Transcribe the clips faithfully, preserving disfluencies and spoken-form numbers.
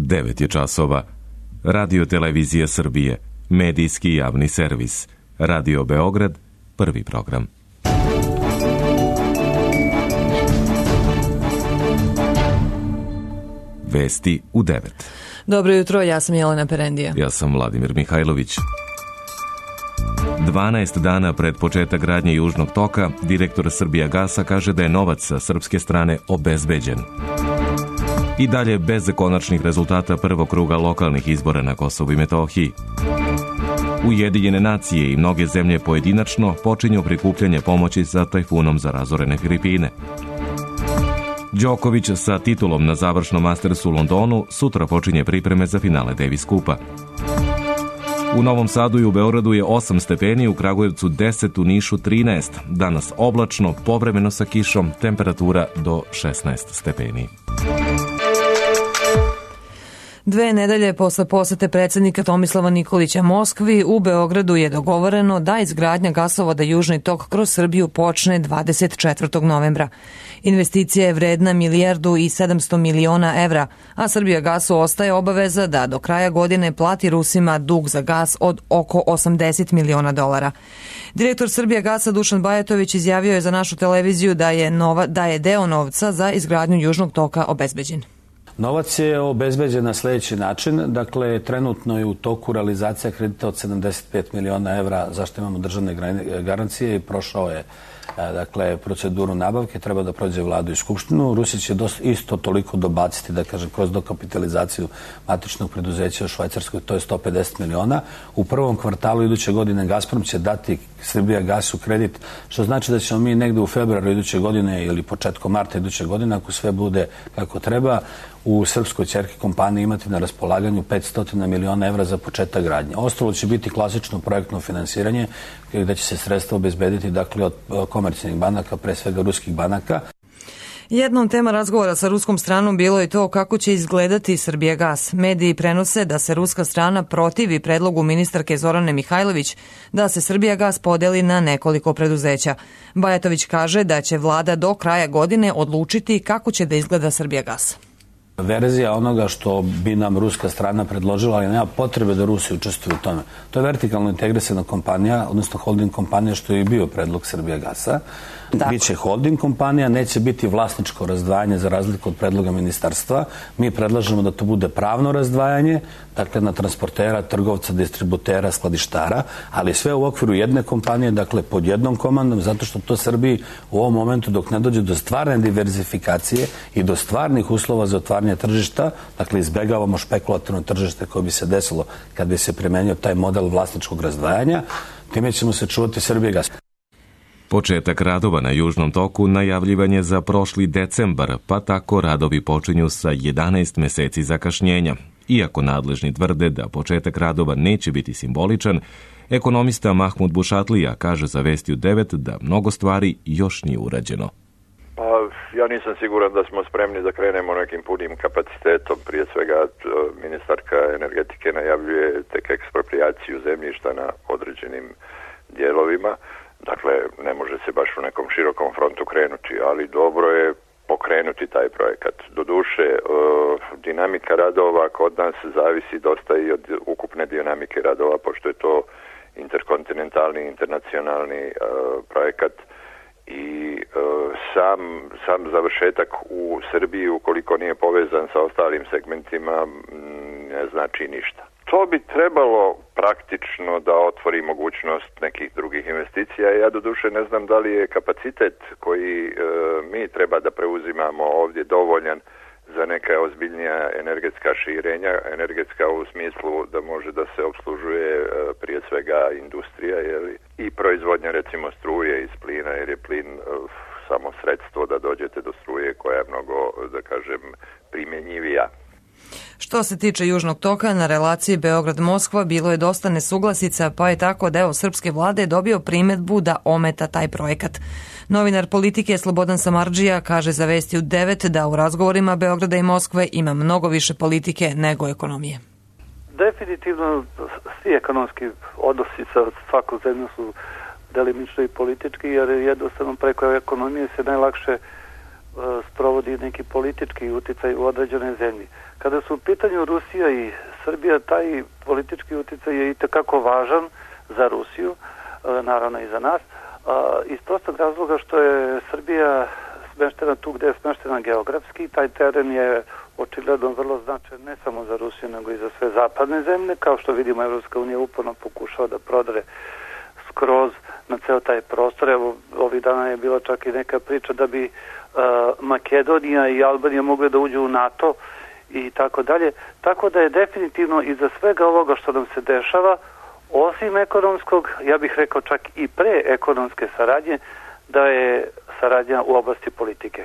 devet je časova. Radio Televizija Srbije, medijski javni servis. Radio Beograd, prvi program. Vesti u devet. Dobro jutro, ja sam Jelena Perendija. Ja sam Vladimir Mihajlović. dvanaest dana pred početak gradnje Južnog toka, direktor Srbijagasa kaže da je novac sa srpske strane obezbeđen. I dalje bez konačnih rezultata prvog kruga lokalnih izbora na Kosovu i Metohiji. Ujedinjene nacije i mnoge zemlje pojedinačno počinju prikupljanje pomoći za tajfunom za razorene Filipine. Đoković sa titulom na završnom Mastersu u Londonu sutra počinje pripreme za finale Davis Kupa. U Novom Sadu i u Beogradu je osam stepeni, u Kragujevcu deset, u Nišu trinaest. Danas oblačno, povremeno sa kišom, temperatura do šesnaest stepeni. Dve nedelje posle posete predsjednika Tomislava Nikolića Moskvi, u Beogradu je dogovoreno da izgradnja gasovoda Južni tok kroz Srbiju počne dvadeset četvrtog novembra. Investicija je vredna milijardu i sedamsto miliona evra, a Srbijagasu ostaje obaveza da do kraja godine plati Rusima dug za gas od oko osamdeset miliona dolara. Direktor Srbijagasa Dušan Bajatović izjavio je za našu televiziju da je, nova, da je deo novca za izgradnju Južnog toka obezbeđen. Novac je obezbeđen na sljedeći način. Dakle, trenutno je u toku realizacija kredita od sedamdeset pet miliona evra, zašto imamo državne garancije, i prošao je dakle, proceduru nabavke, treba da prođe vladu i skupštinu. Rusi će dosta, isto toliko dobaciti, da kažem, kroz dokapitalizaciju matičnog preduzeća u Švajcarskoj, to je sto pedeset miliona. U prvom kvartalu iduće godine Gazprom će dati Srbijagasu kredit, što znači da ćemo mi negde u februaru iduće godine ili početkom marta iduće godine, ako sve bude kako treba, u srpskoj ćerki kompaniji imati na raspolaganju petsto miliona evra za početak gradnje. Ostalo će biti klasično projektno finansiranje, gde će se sredstva obezbediti dakle, od komercijalnih banaka, pre svega ruskih banaka. Jednom tema razgovora sa ruskom stranom bilo je to kako će izgledati Srbijagas. Mediji prenose da se ruska strana protivi predlogu ministarke Zorane Mihajlović da se Srbijagas podeli na nekoliko preduzeća. Bajatović kaže da će vlada do kraja godine odlučiti kako će da izgleda Srbijagas. Verzija onoga što bi nam ruska strana predložila, ali nema potrebe da Rusi učestvuju u tome. To je vertikalno integrisana kompanija, odnosno holding kompanija, što je i bio predlog Srbijagasa. Biće holding kompanija, neće biti vlasničko razdvajanje za razliku od predloga ministarstva. Mi predlažemo da to bude pravno razdvajanje, dakle na transportera, trgovca, distributera, skladištara, ali sve u okviru jedne kompanije, dakle pod jednom komandom, zato što to Srbiji u ovom momentu, dok ne dođe do stvarne diverzifikacije i do stvarnih uslova za otvaranje tržišta, dakle izbegavamo špekulativno tržište koje bi se desilo kad bi se primenio taj model vlasničkog razdvajanja, time ćemo se čuvati Srbijagas. Početak radova na Južnom toku najavljivan je za prošli decembar, pa tako radovi počinju sa jedanaest meseci zakašnjenja. Iako nadležni tvrde da početak radova neće biti simboličan, ekonomista Mahmud Bušatlija kaže za Vesti u devet da mnogo stvari još nije urađeno. Pa, ja nisam siguran da smo spremni da krenemo nekim punim kapacitetom. Prije svega ministarka energetike najavljuje tek eksproprijaciju zemljišta na određenim dijelovima. Dakle, ne može se baš u nekom širokom frontu krenuti, ali dobro je pokrenuti taj projekat. Doduše, dinamika radova kod nas zavisi dosta i od ukupne dinamike radova, pošto je to interkontinentalni, internacionalni projekat i sam, sam završetak u Srbiji, ukoliko nije povezan sa ostalim segmentima, ne znači ništa. To bi trebalo praktično da otvori mogućnost nekih drugih investicija. Ja doduše ne znam da li je kapacitet koji e, mi treba da preuzimamo ovdje dovoljan za neka ozbiljnija energetska širenja, energetska u smislu da može da se obslužuje e, prije svega industrija, jeli, i proizvodnja recimo struje iz plina, jer je plin e, samo sredstvo da dođete do struje koja je mnogo, da kažem, primjenjivija. Što se tiče Južnog toka, na relaciji Beograd-Moskva bilo je dosta nesuglasica, pa je tako deo srpske vlade dobio primedbu da ometa taj projekat. Novinar Politike Slobodan Samardžija kaže za Vesti u devet da u razgovorima Beograda i Moskve ima mnogo više politike nego ekonomije. Definitivno svi ekonomski odnosi sa svakom zemljom su delimično i politički, jer jednostavno preko ekonomije se najlakše sprovodi neki politički uticaj u određenoj zemlji. Kada su u pitanju Rusija i Srbija, taj politički uticaj je itekako važan za Rusiju, naravno i za nas, iz prostog razloga što je Srbija smeštena tu gde je smeštena geografski. Taj teren je očigledno vrlo značajan ne samo za Rusiju, nego i za sve zapadne zemlje. Kao što vidimo, Evropska unija uporno pokušava da prodre skroz na ceo taj prostor. Evo, ovih dana je bila čak i neka priča da bi uh, Makedonija i Albanija mogle da uđu u NATO i tako dalje. Tako da je definitivno iza svega ovoga što nam se dešava, osim ekonomskog, ja bih rekao čak i pre ekonomske saradnje, da je saradnja u oblasti politike.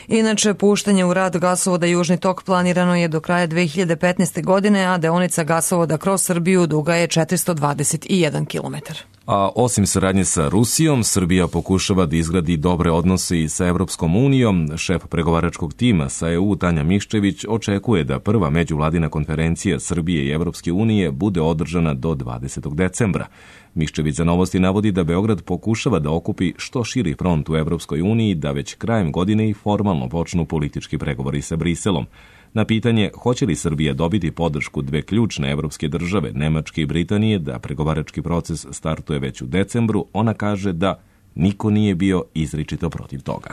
Inače, puštanje u rad gasovoda Južni tok planirano je do kraja dve hiljade petnaeste. godine, a deonica gasovoda kroz Srbiju duga je četiristo dvadeset jedan kilometar. A osim saradnje sa Rusijom, Srbija pokušava da izgradi dobre odnose i sa Evropskom unijom. Šef pregovaračkog tima sa E U Tanja Miščević očekuje da prva međuvladina konferencija Srbije i Evropske unije bude održana do dvadesetog decembra. Miščević za Novosti navodi da Beograd pokušava da okupi što širi front u Evropskoj uniji, da već krajem godine i formalno počnu politički pregovori sa Briselom. Na pitanje hoće li Srbija dobiti podršku dve ključne evropske države, Nemačke i Britanije, da pregovarački proces startuje već u decembru, ona kaže da niko nije bio izričito protiv toga.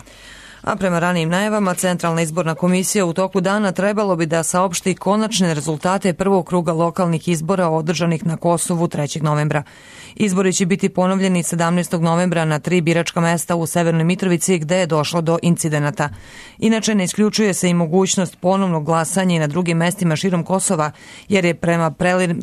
A prema ranijim najavama, Centralna izborna komisija u toku dana trebalo bi da saopšti konačne rezultate prvog kruga lokalnih izbora održanih na Kosovu trećeg novembra. Izbori će biti ponovljeni sedamnaestog novembra na tri biračka mesta u Severnoj Mitrovici gde je došlo do incidenata. Inače, ne isključuje se i mogućnost ponovnog glasanja i na drugim mestima širom Kosova, jer je prema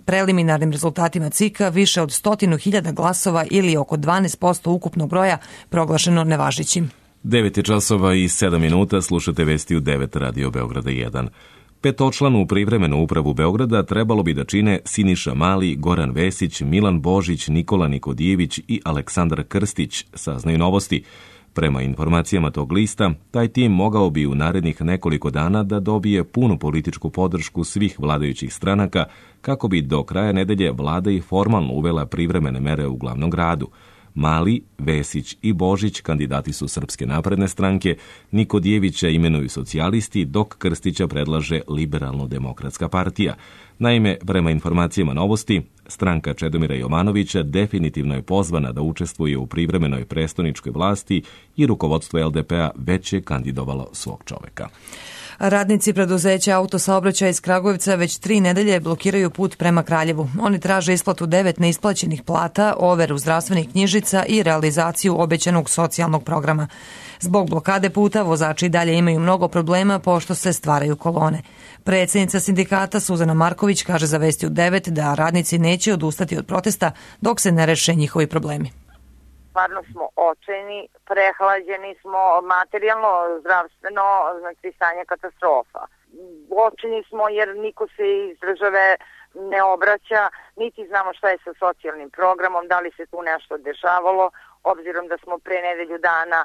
preliminarnim rezultatima C I K-a više od stotinu hiljada glasova ili oko dvanaest posto ukupnog broja proglašeno nevažećim. devet je časova i sedam minuta, slušate vesti u devet Radio Beograda jedan. Petočlanu privremenu upravu Beograda trebalo bi da čine Siniša Mali, Goran Vesić, Milan Božić, Nikola Nikodijević i Aleksandar Krstić, saznaju Novosti. Prema informacijama tog lista, taj tim mogao bi u narednih nekoliko dana da dobije punu političku podršku svih vladajućih stranaka kako bi do kraja nedelje vlada i formalno uvela privremene mere u glavnom gradu. Mali, Vesić i Božić kandidati su Srpske napredne stranke, Nikodijevića imenuju socijalisti, dok Krstića predlaže Liberalno-demokratska partija. Naime, prema informacijama Novosti, stranka Čedomira Jovanovića definitivno je pozvana da učestvuje u privremenoj prestoničkoj vlasti i rukovodstvo L D P-a već je kandidovalo svog čoveka. Radnici preduzeća Autosaobraćaja iz Kragujevca već tri nedelje blokiraju put prema Kraljevu. Oni traže isplatu devet neisplaćenih plata, overu zdravstvenih knjižica i realizaciju obećanog socijalnog programa. Zbog blokade puta vozači dalje imaju mnogo problema pošto se stvaraju kolone. Predsjednica sindikata Suzana Marković kaže za Vesti u devet da radnici neće odustati od protesta dok se ne reše njihovi problemi. Stvarno smo očajni, prehlađeni smo materijalno, zdravstveno, znači stanje katastrofa. Očajni smo jer niko se iz države ne obraća, niti znamo šta je sa socijalnim programom, da li se tu nešto dešavalo, obzirom da smo pre nedelju dana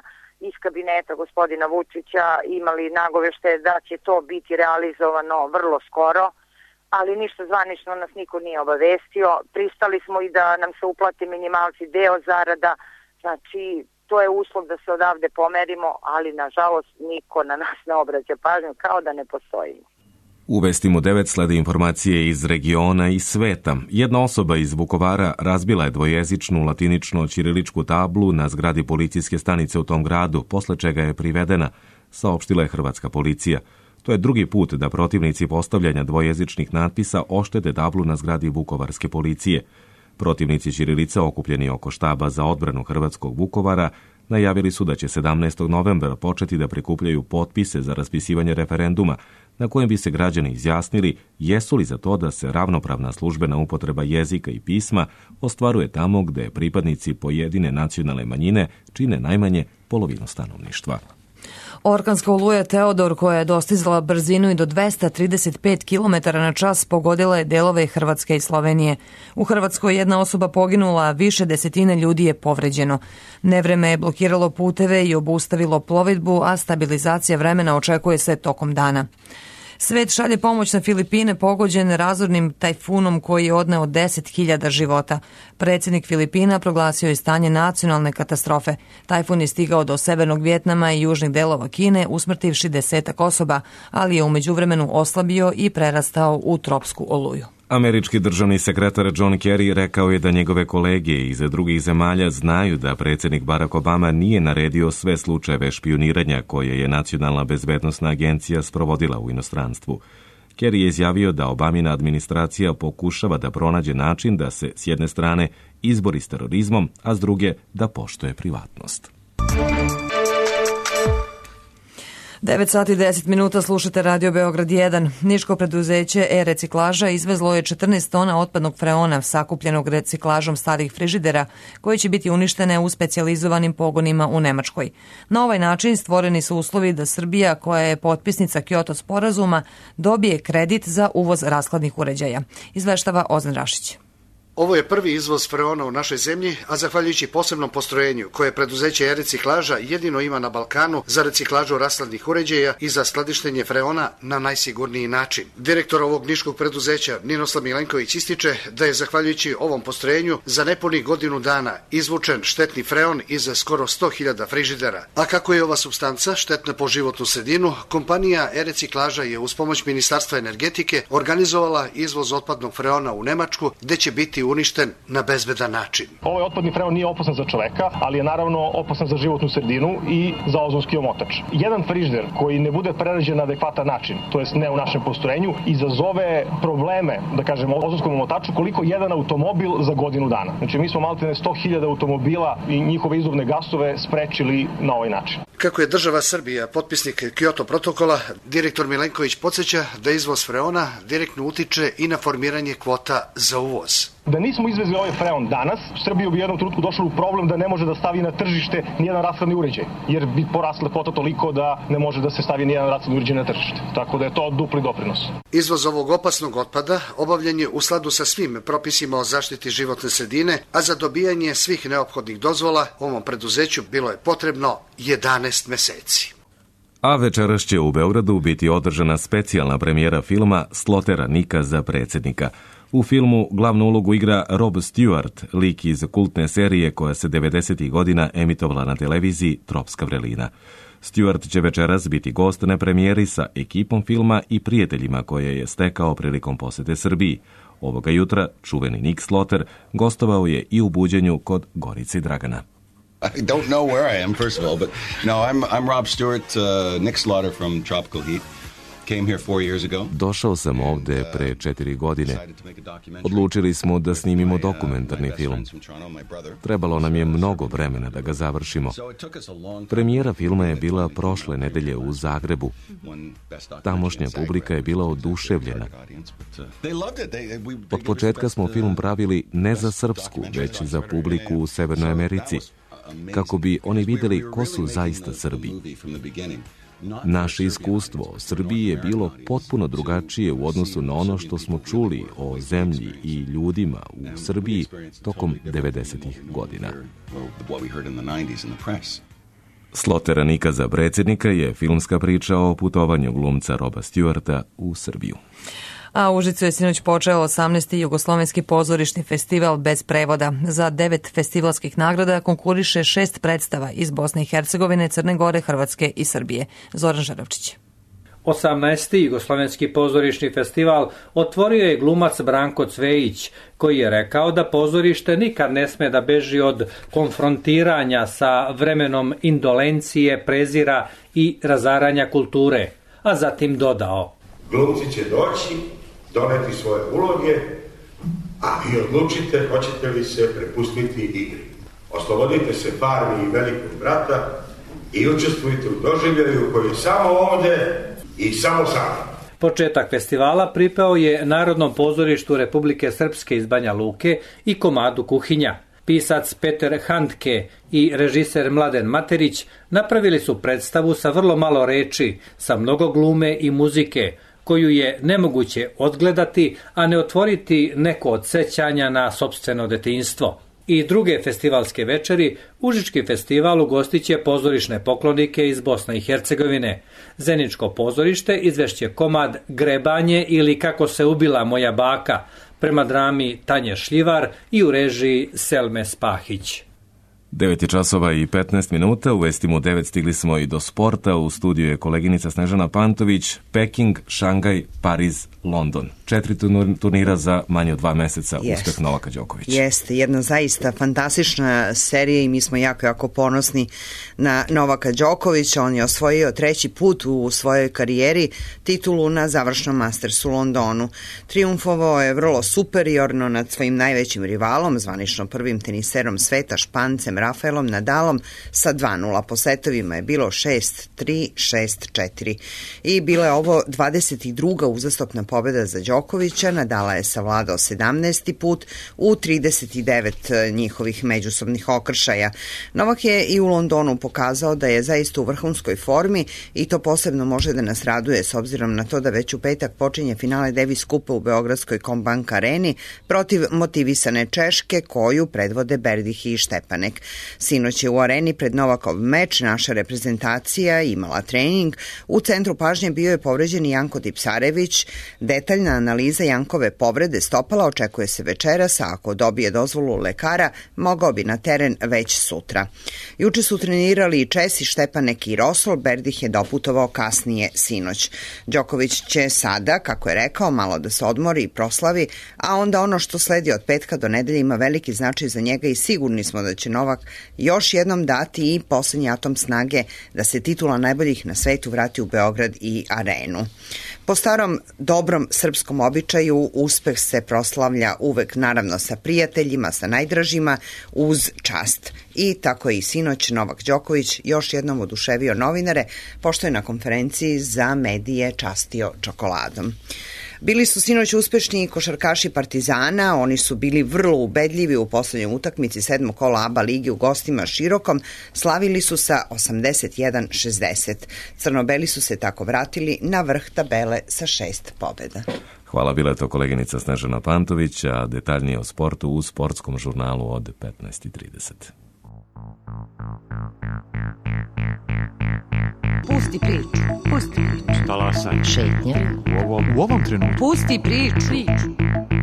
iz kabineta gospodina Vučića imali nagovešte da će to biti realizovano vrlo skoro, ali ništa zvanično nas niko nije obavestio. Pristali smo i da nam se uplate minimalci deo zarada, znači to je uslov da se odavde pomerimo, ali nažalost niko na nas ne obraća pažnju, kao da ne postojimo. U Vestima devet slede informacije iz regiona i sveta. Jedna osoba iz Vukovara razbila je dvojezičnu latinično-ćiriličku tablu na zgradi policijske stanice u tom gradu, posle čega je privedena, saopštila je hrvatska policija. To je drugi put da protivnici postavljanja dvojezičnih natpisa oštete tablu na zgradi vukovarske policije. Protivnici ćirilice okupljeni oko štaba za odbranu hrvatskog Vukovara najavili su da će sedamnaestog novembra početi da prikupljaju potpise za raspisivanje referenduma na kojem bi se građani izjasnili jesu li za to da se ravnopravna službena upotreba jezika i pisma ostvaruje tamo gde pripadnici pojedine nacionalne manjine čine najmanje polovinu stanovništva. Orkanska oluja Teodor, koja je dostizala brzinu i do dvesta trideset pet kilometara na čas, pogodila je delove Hrvatske i Slovenije. U Hrvatskoj jedna osoba poginula, a više desetine ljudi je povređeno. Nevreme je blokiralo puteve i obustavilo plovidbu, a stabilizacija vremena očekuje se tokom dana. Svet šalje pomoć na Filipine pogođene razornim tajfunom koji je odneo deset hiljada života. Predsjednik Filipina proglasio je stanje nacionalne katastrofe. Tajfun je stigao do severnog Vijetnama i južnih delova Kine, usmrtivši desetak osoba, ali je u međuvremenu oslabio i prerastao u tropsku oluju. Američki državni sekretar John Kerry rekao je da njegove kolege iz drugih zemalja znaju da predsjednik Barack Obama nije naredio sve slučajeve špijuniranja koje je Nacionalna bezbednosna agencija sprovodila u inostranstvu. Kerry je izjavio da Obamina administracija pokušava da pronađe način da se s jedne strane izbori s terorizmom, a s druge da poštuje privatnost. devet sati i deset minuta slušate Radio Beograd jedan. Niško preduzeće e-reciklaža izvezlo je četrnaest tona otpadnog freona sakupljenog reciklažom starih frižidera koji će biti uništene u specijalizovanim pogonima u Nemačkoj. Na ovaj način stvoreni su uslovi da Srbija, koja je potpisnica Kyoto sporazuma, dobije kredit za uvoz rashladnih uređaja. Izveštava Ozan Rašić. Ovo je prvi izvoz freona u našoj zemlji, a zahvaljujući posebnom postrojenju koje preduzeće e-reciklaža jedino ima na Balkanu za reciklažu rashladnih uređaja i za skladištenje freona na najsigurniji način. Direktor ovog niškog preduzeća Ninoslav Milenković ističe da je zahvaljujući ovom postrojenju za nepunih godinu dana izvučen štetni freon iz skoro sto hiljada frižidera. A kako je ova supstanca štetna po životnu sredinu, kompanija e-reciklaža je uz pomoć Ministarstva energetike organizovala izvoz otpadnog freona u Nemačku, gde će biti uništen na bezbedan način. Ovaj otpadni freon nije opasan za čoveka, ali je naravno opasan za životnu sredinu i za ozonski omotač. Jedan frižider koji ne bude prerađen na adekvatan način, to jest ne u našem postrojenju, izazove probleme, da kažemo, ozonskom omotaču koliko jedan automobil za godinu dana. Znači mi smo maltene sto hiljada automobila i njihove izduvne gasove sprečili na ovaj način. Kako je država Srbija potpisnik Kyoto protokola, direktor Milenković podsjeća da izvoz freona direktno utiče i na formiranje kvota za uvoz. Da nismo izvezli ovaj freon danas, Srbija bi u jednom trenutku došla u problem da ne može da stavi na tržište nijedan rashladni uređaj, jer bi porasla kvota toliko da ne može da se stavi nijedan rashladni uređaj na tržište. Tako da je to dupli doprinos. Izvoz ovog opasnog otpada obavljen je u skladu sa svim propisima o zaštiti životne sredine, a za dobijanje svih neophodnih dozvola ovom preduzeću bilo je potrebno jedanaest meseci. A večeras će u Beogradu biti održana specijalna premijera filma Slotera Nika za predsjednika. U filmu glavnu ulogu igra Rob Stewart, lik iz kultne serije koja se devedesetih godina emitovala na televiziji Tropska vrelina. Stewart će večeras biti gost na premijeri sa ekipom filma i prijateljima koje je stekao prilikom posete Srbiji. Ovoga jutra čuveni Nick Sloter gostovao je i u buđenju kod Gorice i Dragana. I don't know where I am, first of all, but no, I'm I'm Rob Stewart, uh, Nick Slaughter from Tropical Heat. Came here four years ago. Došao sam ovde pre četiri godine. Odlučili smo da snimimo dokumentarni film. Trebalo nam je mnogo vremena da ga završimo. Premijera filma je bila prošle nedelje u Zagrebu. Tamošnja publika je bila oduševljena. Od početka smo film pravili ne za srpsku, već za publiku u Severnoj Americi, kako bi oni vidjeli ko su zaista Srbi. Naše iskustvo o Srbiji je bilo potpuno drugačije u odnosu na ono što smo čuli o zemlji i ljudima u Srbiji tokom devedesetih godina. Slotera Nika za predsjednika je filmska priča o putovanju glumca Roba Stewarta u Srbiju. A u Užicu je sinoć počeo osamnaesti Jugoslovenski pozorišni festival bez prevoda. Za devet festivalskih nagrada konkuriše šest predstava iz Bosne i Hercegovine, Crne Gore, Hrvatske i Srbije. Zoran Žaravčić. osamnaesti Jugoslovenski pozorišni festival otvorio je glumac Branko Cvejić, koji je rekao da pozorište nikad ne sme da beži od konfrontiranja sa vremenom indolencije, prezira i razaranja kulture, a zatim dodao: glumci će doći, doneti svoje uloge, a vi odlučite hoćete li se prepustiti igri. Oslobodite se farmi i velikog brata i učestvujte u doživljaju koji je samo ovde i samo sami. Početak festivala pripao je Narodnom pozorištu Republike Srpske iz Banja Luke i komadu Kuhinja. Pisac Peter Handke i režiser Mladen Materić napravili su predstavu sa vrlo malo reči, sa mnogo glume i muzike, koju je nemoguće odgledati, a ne otvoriti neko od sećanja na sopstveno detinjstvo. i druge festivalske večeri, Užički festival ugostiće pozorišne poklonike iz Bosne i Hercegovine. Zeničko pozorište izvešće komad Grebanje ili Kako se ubila moja baka, prema drami Tanje Šljivar i u režiji Selme Spahić. devet je časova i petnaest minuta, u vestima u devet stigli smo i do sporta, u studiju je koleginica Snežana Pantović, Peking, Šangaj, Pariz, London. Četiri turnira za manje od dva meseca, Jest. uspeh Novaka Đokovića. Jeste, jedna zaista fantastična serija i mi smo jako, jako ponosni na Novaka Đokovića. On je osvojio treći put u svojoj karijeri titulu na završnom Mastersu u Londonu. Triumfovao je vrlo superiorno nad svojim najvećim rivalom, zvanično prvim teniserom sveta, Špancem Rafaelom Nadalom sa dva nula. Po setovima je bilo šest tri, šest četiri. I bila je ovo dvadeset druga uzastopna pobjeda za Đokovića. Nadala je savladao sedamnaesti put u trideset devet njihovih međusobnih okršaja. Novak je i u Londonu pokazao da je zaista u vrhunskoj formi i to posebno može da nas raduje s obzirom na to da već u petak počinje finale Davis Kupa u Beogradskoj Combank areni protiv motivisane Češke koju predvode Berdih i Štepanek. Sinoć je u areni pred Novakov meč naša reprezentacija imala trening. U centru pažnje bio je povređen Janko Tipsarević. Detaljna analiza Jankove povrede stopala očekuje se večeras, a ako dobije dozvolu lekara, mogao bi na teren već sutra. Juče su trenirali i Česi Štepanek i Rosol, Berdih je doputovao kasnije sinoć. Đoković će sada, kako je rekao, malo da se odmori i proslavi, a onda ono što sledi od petka do nedelje ima veliki značaj za njega i sigurni smo da će Novak još jednom dati i poslednji atom snage da se titula najboljih na svetu vrati u Beograd i arenu. Po starom dobrom srpskom običaju uspeh se proslavlja uvek naravno sa prijateljima, sa najdražima, uz čast. I tako je i sinoć Novak Đoković još jednom oduševio novinare, pošto je na konferenciji za medije častio čokoladom. Bili su sinoć uspešni košarkaši Partizana, oni su bili vrlo ubedljivi u poslednjoj utakmici sedmog kola A B A lige u gostima Širokom, slavili su sa osamdeset jedan šezdeset. Crnobeli su se tako vratili na vrh tabele sa šest pobjeda. Hvala, bila je to koleginica Snežana Pantović, a detaljnije o sportu u sportskom žurnalu od petnaest i trideset. Pusti priču, pusti priču. Talasaj. Šetnja. U ovom, u ovom trenutku. Pusti priču.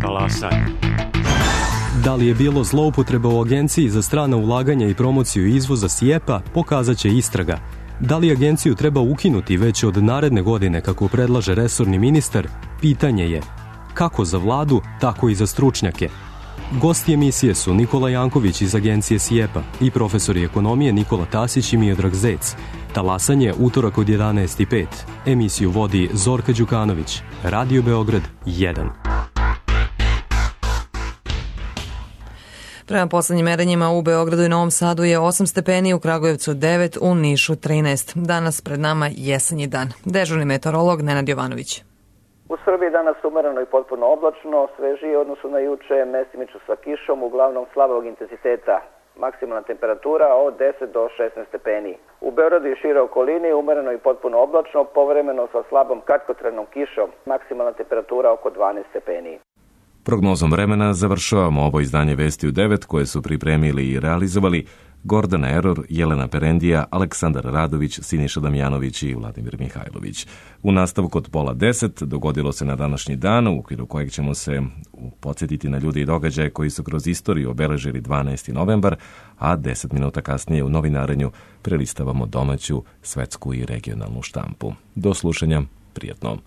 Talasaj. Da li je bilo zloupotreba u Agenciji za strana ulaganja i promociju izvoza SIEPA, pokazat će istraga. Da li agenciju treba ukinuti već od naredne godine, kako predlaže resorni ministar, pitanje je kako za vladu, tako i za stručnjake. Gosti emisije su Nikola Janković iz agencije SIEPA i profesori ekonomije Nikola Tasić i Miodrag Zec. Talasanje utorak od jedanaest i pet. Emisiju vodi Zorka Đukanović. Radio Beograd jedan. Prema poslednjim merenjima u Beogradu i Novom Sadu je osam stepeni, u Kragujevcu devet, u Nišu trinaest. Danas pred nama jesenji dan. Dežurni meteorolog Nenad Jovanović. U Srbiji danas umereno i potpuno oblačno, svežije odnosu na juče, mestimično sa kišom, uglavnom slabog intenziteta. Maksimalna temperatura od deset do šesnaest stepeni. U Beogradu i šire okolini umereno i potpuno oblačno, povremeno sa slabom kratkotrajnom kišom. Maksimalna temperatura oko dvanaest stepeni. Prognozom vremena završavamo ovo izdanje Vesti u devet koje su pripremili i realizovali Gordana Eror, Jelena Perendija, Aleksandar Radović, Siniša Damjanović i Vladimir Mihajlović. U nastavku od pola deset dogodilo se na današnji dan, u okviru kojeg ćemo se podsjetiti na ljude i događaje koji su kroz istoriju obeležili dvanaesti novembar, a deset minuta kasnije u novinarenju prelistavamo domaću, svetsku i regionalnu štampu. Do slušanja, prijatno.